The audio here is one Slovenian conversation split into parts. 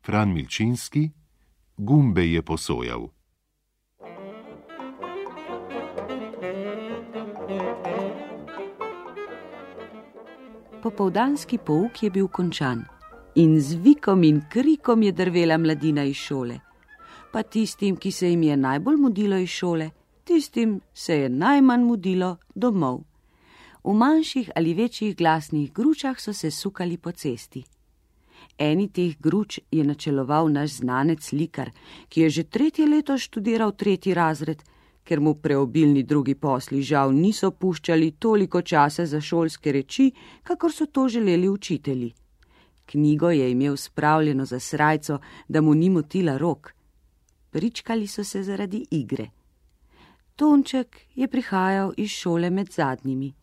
Fran Milčinski, Gumbe je posojal. Popoldanski pouk je bil končan in z vikom in krikom je drvela mladina iz šole. Pa tistim, ki se jim je najbolj mudilo iz šole, tistim se je najmanj mudilo domov. V manjših ali večjih glasnih gručah so se sukali po cesti. Eni teh gruč je načeloval naš znanec Likar, ki je že 3. leto študiral 3. razred, ker mu preobilni drugi posli žal niso puščali toliko časa za šolske reči, kakor so to želeli učitelji. Knjigo je imel spravljeno za srajco, da mu ni motila rok. Pričkali so se zaradi igre. Tonček je prihajal iz šole med zadnjimi.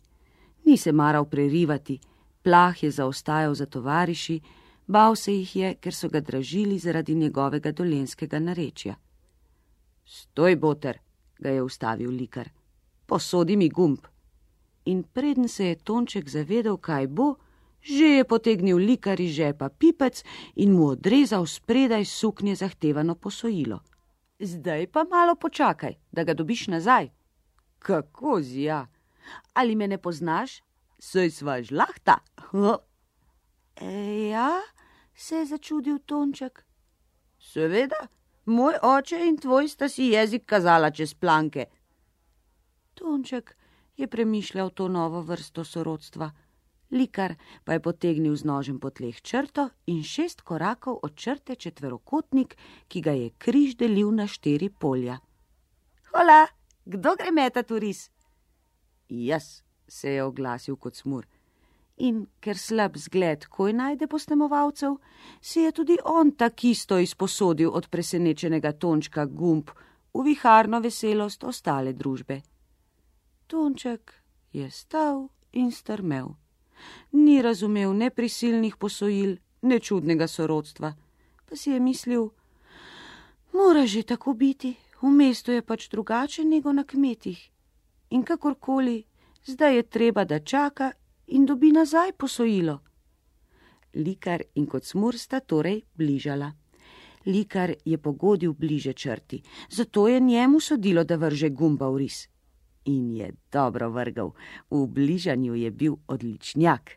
Ni se maral prerivati, plah je zaostajal za tovariši, bal se jih je, ker so ga dražili zaradi njegovega dolenjskega narečja. Stoj, boter, ga je ustavil Likar. Posodi mi gumb. In preden se je Tonček zavedel, kaj bo, že je potegnil Likar iz žepa pipec in mu odrezal spredaj suknje zahtevano posojilo. Zdaj pa malo počakaj, da ga dobiš nazaj. Kako zja? Ali me ne poznaš? Saj sva žlahta. Ja, se je začudil Tonček. Seveda, moj oče in tvoj sta si jezik kazala čez planke. Tonček je premišljal to novo vrsto sorodstva. Likar pa je potegnil z nožem po tleh črto in 6 korakov od črte četverokotnik, ki ga je križ delil na 4 polja. Hola, kdo gre metat v ris? Jaz, se je oglasil kot smur. In ker slab zgled koj najde posnemovalcev, si je tudi on takisto izposodil od presenečenega Tončka gumb v viharno veselost ostale družbe. Tonček je stal in strmel. Ni razumel ne prisilnih posojil, ne čudnega sorodstva, pa si je mislil, mora že tako biti, v mestu je pač drugače nego na kmetih. In kakorkoli, zdaj je treba, da čaka in dobi nazaj posojilo. Likar in Kocmur sta torej bližala. Likar je pogodil bliže črti, zato je njemu sodilo, da vrže gumba v ris. In je dobro vrgal, v bližanju je bil odličnjak.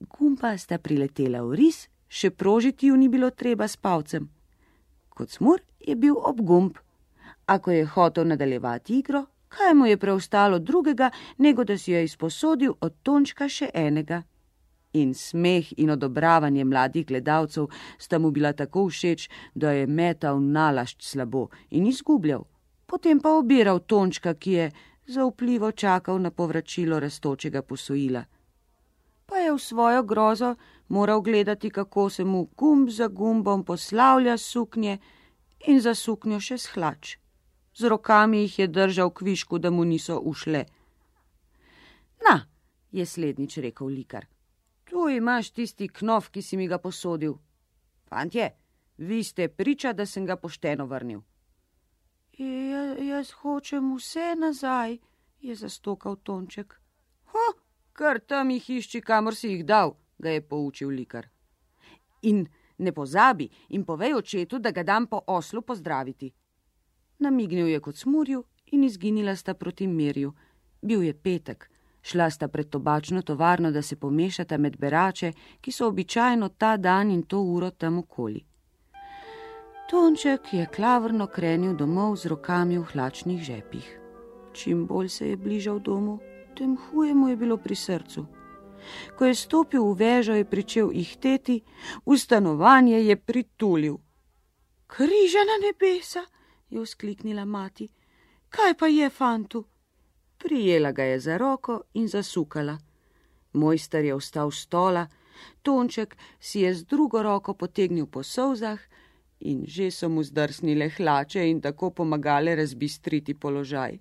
Gumba sta priletela v ris, še prožiti ju ni bilo treba s palcem. Kocmur je bil ob gumb. Ako je hotel nadaljevati igro, kaj mu je preostalo drugega, nego da si je izposodil od Tončka še enega. In smeh in odobravanje mladih gledalcev sta mu bila tako všeč, da je metal nalašč slabo in izgubljal. Potem pa obiral Tončka, ki je zaupljivo čakal na povračilo rastočega posojila. Pa je v svojo grozo moral gledati, kako se mu gumb za gumbom poslavlja suknje in za suknjo še s hlač. Z rokami jih je držal kvišku, da mu niso ušle. Na, je slednjič rekel Likar, tu imaš tisti knof, ki si mi ga posodil. Fantje, vi ste priča, da sem ga pošteno vrnil. Jaz hočem vse nazaj, je zastokal Tonček. Kar tam jih išči, kamor si jih dal, ga je poučil Likar. In ne pozabi in povej očetu, da ga dam po oslu pozdraviti. Namignil je Kocmurju in izginila sta proti Mirju. Bil je petek, šla sta pred tobačno tovarno, da se pomešata med berače, ki so običajno ta dan in to uro tam okoli. Tonček je klavrno krenil domov z rokami v hlačnih žepih. Čim bolj se je bližal domu, tem huje mu je bilo pri srcu. Ko je stopil v vežo, je pričel ihteti, v stanovanje je pritulil. Križa na nebesa, je vzkliknila mati. Kaj pa je, fantu? Prijela ga je za roko in zasukala. Mojster je vstal s stola, Tonček si je z drugo roko potegnil po solzah in že so mu zdrsnile hlače in tako pomagale razbistriti položaj.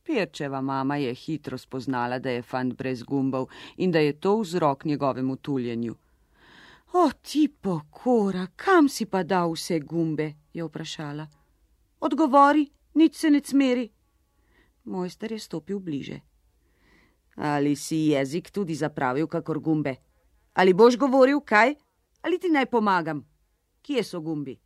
Pirčeva mama je hitro spoznala, da je fant brez gumbov in da je to vzrok njegovemu tuljenju. O, ti pokora, kam si pa dal vse gumbe, je vprašala. Odgovori, nič se ne cmeri. Mojster je stopil bliže. Ali si jezik tudi zapravil kakor gumbe? Ali boš govoril kaj? Ali ti naj pomagam? kje so gumbi?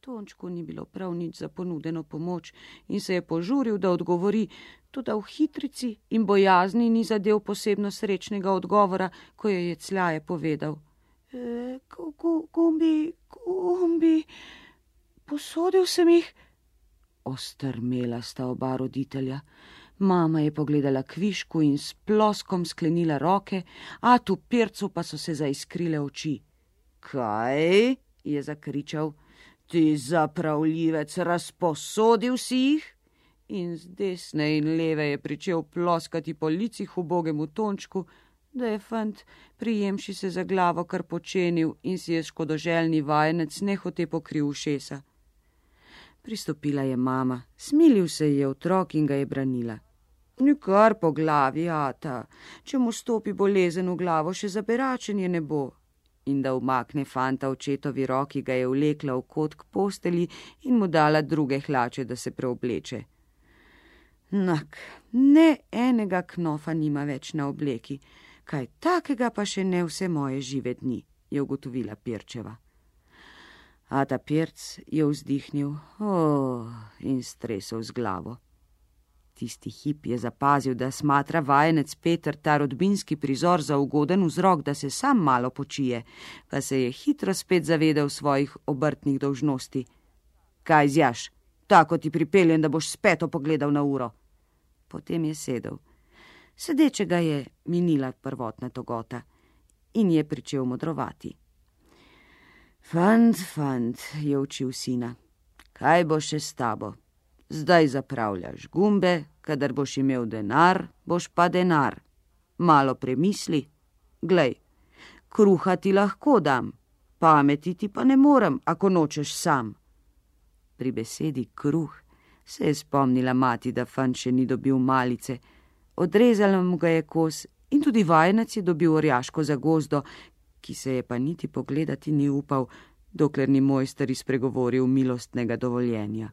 Tončku ni bilo prav nič za ponudeno pomoč in se je požuril, da odgovori, toda v hitrici in bojazni ni zadev posebno srečnega odgovora, ko je jecljaje povedal. Gumbi, posodil sem jih. Ostrmela sta oba roditelja. Mama je pogledala kvišku in s ploskom sklenila roke, atu Pircu pa so se zaiskrile oči. Kaj? Je zakričal. Ti zapravljivec, razposodil si jih? In z desne in leve je pričel ploskati po licih ubogemu Tončku, da je fant, prijemši se za glavo, kar počenil in si je škodoželjni vajenec nehote pokril ušesa. Pristopila je mama, smilil se je otrok in ga je branila. Nikar po glavi, ata, če mu stopi bolezen v glavo, še zaberačenje ne bo. In da umakne fanta očetovi roki, ga je vlekla v kot k posteli in mu dala druge hlače, da se preobleče. Nak, ne enega knofa nima več na obleki, kaj takega pa še ne vse moje žive dni, je ugotovila Pirčeva. Ata Pirc je vzdihnil in stresel z glavo. Tisti hip je zapazil, da smatra vajenec Peter ta rodbinski prizor za ugoden vzrok, da se sam malo počije, pa se je hitro spet zavedel svojih obrtnih dolžnosti. Kaj zjaš? Tako ti pripeljem, da boš spet pogledal na uro. Potem je sedel. Sedečega je minila prvotna togota in je pričel modrovati. Fant, je učil sina, kaj bo še s tabo? Zdaj zapravljaš gumbe, kadar boš imel denar, boš pa denar. Malo premisli. Glej, kruha ti lahko dam, pameti ti pa ne morem, ako nočeš sam. Pri besedi kruh se je spomnila mati, da fant še ni dobil malice. Odrezala mu ga je kos in tudi vajenec je dobil orjaško zagozdo, ki se je pa niti pogledati ni upal, dokler ni mojster izpregovoril milostnega dovoljenja.